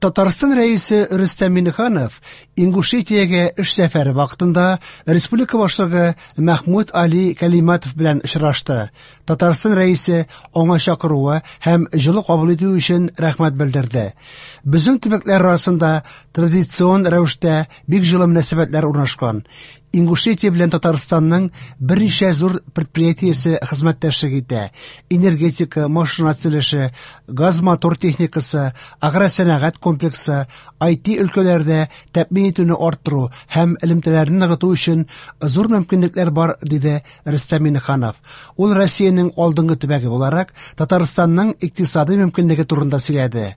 Татарстан Рәисе Рөстәм Миңнеханов Ингушетиягә эш сәфәре вакытында республика башлыгы Мәхмүд Али Кәлиматов белән очрашты. Татарстан Рәисе аңа чакыруы һәм җылы кабул итү өчен рәхмәт белдерде. Безнең төбәкләр арасында традицион рәвештә бик җылы мөнәсәбәтләр урнашкан. Ингушетия белән Татарстанның берничә зур предприятиесе хезмәттәшлек итә. Энергетика, машина төзелеше, газ-мотор техникасы, агросәнәгать комплексы, IT өлкәләрдә тәэмин итүне арттыру һәм элемтәләрне ныгыту өчен зур мөмкинлекләр бар, диде Рөстәм Миңнеханов. Ул Россиянең алдынгы төбәге буларак Татарстанның икътисадый мөмкинлеге турында сөйләде.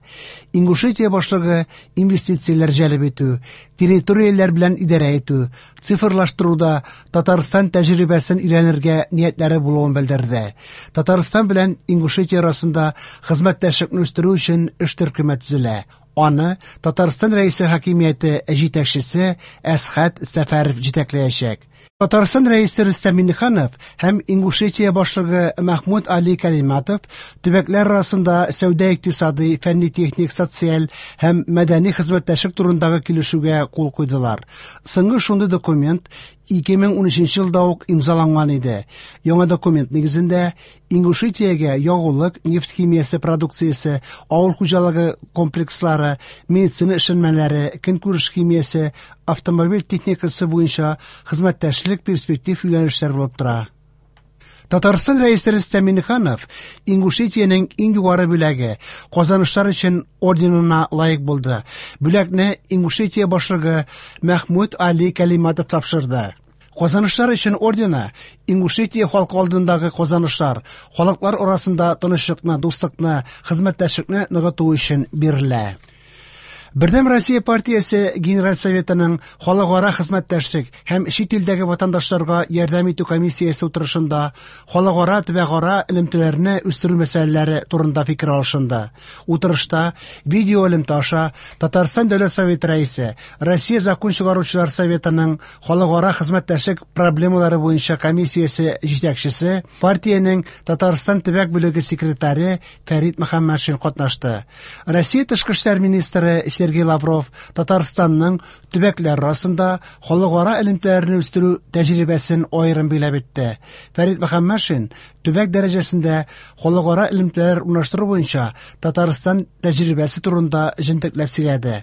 Ингушетия башлыгы инвестицияләр җәлеп итү, территорияләр белән идарә итү, цифрлаштыруда Татарстан тәҗрибәсен өйрәнергә ниятләре булуын белдерде. Татарстан белән Ингушетия арасында хезмәттәшлекне үстерү өчен эш төркеме төзелә. Аны Татарстан Рәисе хакимияте җитәкчесе Әсхәт Сәфәров җитәкләячәк. Татарстан Рәисе Рөстәм Миңнеханов һәм Ингушетия башлыгы Мәхмүд Али Кәлиматов төбәкләр арасында сәүдә-икътисадый, фәнни-техник, социаль һәм мәдәни хезмәттәшлек турындагы килешүгә кул куйдылар. Соңгы шундый документ 2013 елда ук имзаланган иде. Яңа документ нигезендә Ингушетиягә ягулык, нефть химиясе продукциясе, авыл хуҗалыгы комплекслары, медицина эшләнмәләре, көнкүреш химиясе, автомобиль техникасы буенча хезмәттәшлек перспектив юнәлешләр булып тора. Татарстан Рәисе Рөстәм Миңнеханов Ингушетиянең иң югары бүләге Казанышлар өчен орденына лаек булды. Бүләкне Ингушетия башлыгы Мәхмүд Али Кәлиматов тапшырды. Казанышлар өчен ордены Ингушетия халкы алдындагы казанышлар, халыклар арасында тынычлыкны, дуслыкны, хезмәттәшлекне ныгыту өчен бирелә. Бердәм Россия партиясе Генераль Советының халыкара хезмәттәшлек һәм чит илдәге ватандашларга ярдәм итү комиссиясе утырышында халыкара төбәкара элемтәләрне үстерү мәсьәләләре турында фикер алышынды. Утырышта видео элемтә аша Татарстан Дәүләт Советы рәисе, Россия Закон чыгаручылар Советының халыкара хезмәттәшлек проблемалары буенча комиссиясе җитәкчесе, партиянең Татарстан төбәк бүлеге секретаре Фәрит Мөхәммәтшин катнашты. Россия тышкы эшләр министры Сергей Лавров Татарстанның төбәкләр арасында халыкара элемтәләрне үстерү тәҗрибәсен аерым билгеләп үтте. Фәрит Мөхәммәтшин төбәк дәрәҗәсендә халыкара элемтәләр урнаштыру буенча Татарстан тәҗрибәсе турында җентекләп сөйләде.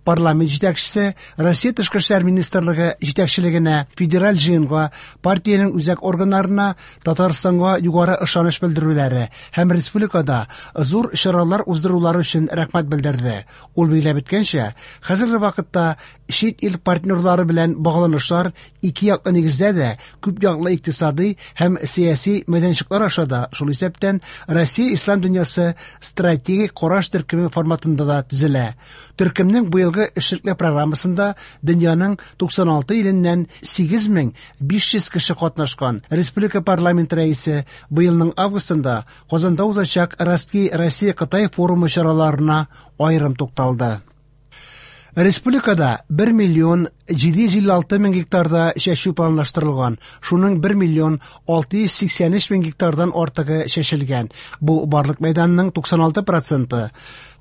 Парламент җитәкчесе Россия Тышкы эшләр министрлыгы җитәкчелегенә, федераль җыенга, партиянең үзәк органнарына Татарстанга югары ышаныч белдерүләре һәм республикада зур чаралар уздырулары өчен рәхмәт белдерде. Ул билгеләп үткәнчә, хәзерге вакытта чит ил партнерлары белән багланышлар ике яклы нигездә дә, күп яклы икътисадый һәм сәяси мәйданчыклар аша да, шул исәптән Россия ислам дөньясы стратегик караш төркеме форматында да төзелә. Төркемнең быелгы эшлекле программасында дөньяның 96 иленнән 8500 кеше катнашкан. Республика парламент рәисе быелның августында Казанда узачак Ростки Россия-Кытай форумы чараларына аерым тукталды. Республикада 1 миллион 756 мең гектарда чәчү планлаштырылган. Шуның 1 миллион 683 мең гектардан артыгы чәчелгән. Бу барлык мәйданның 96 проценты.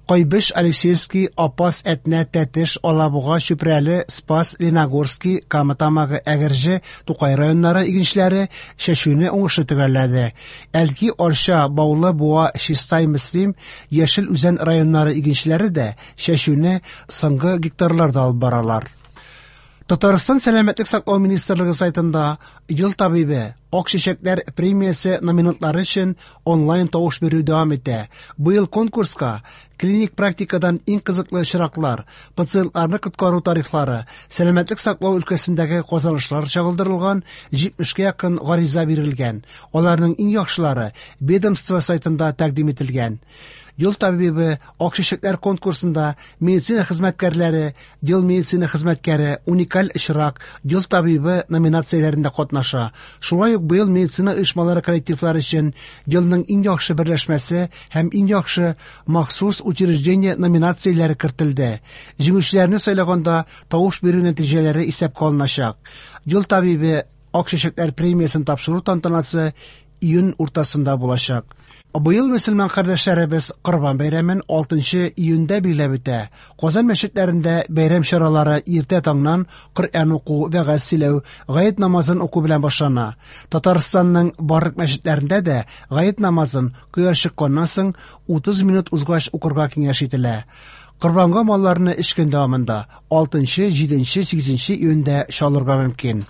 Кайбыч, Алексеевский, Апас, Әтнә, Тәтеш, Алабуга, Чүпрәле, Спас, Леногорский, Кама Тамагы, Әгерҗе, Тукай районнары игенчеләре чәчүне уңышлы төгәлләде. Әлки, Арча, Баулы, Буа, Чистай, Мөслим, Яшел Үзән районнары игенчеләре дә чәчүне соңгы гектарларда алып баралар. Татарстан Сәламәтлек саклау министрлыгы сайтында Ел табибе, Ак чәчәкләр премиясе номинантлары өчен онлайн тавыш бирү дәвам итә. Быел конкурска клиник практикадан иң кызыклы очраклар, пациентларны коткару тарихлары, сәламәтлек саклау өлкәсендәге казанышлар чагылдырылган 70-кә якын гариза бирелгән. Аларның иң яхшылары ведомство сайтында тәкъдим ителгән. Ел табибы Ак чәчәкләр конкурсында медицина хезмәткәрләре, Ел медицина хезмәткәре, Уникаль очрак, Ел табибы номинацияләрендә катнаша. Шулай ук быел медицина оешмалары коллективлары өчен Елның иң яхшы берләшмәсе һәм Иң яхшы махсус учреждение номинацияләре кертелде. Җиңүчеләрне сайлаганда тавыш бирү нәтиҗәләре исәпкә алыначак. Ел табибы Ак чәчәкләр премиясен тапшыру тантанасы Июнь уртасында булачак. Быел мөселман кардәшләребез Корбан бәйрәмен 6 июньдә билгеләп үтә. Казан мәчетләрендә бәйрәм чаралары иртә таңнан Коръән уку, вәгазь сөйләү, гает намазын уку белән башлана. Татарстанның барлык мәчетләрендә дә гает намазын кояш чыкканнан соң 30 минут узгач укырга киңәш ителә. Корбанга малларны өч көн дәвамында 6, 7, 8 июньдә чалырга мөмкин.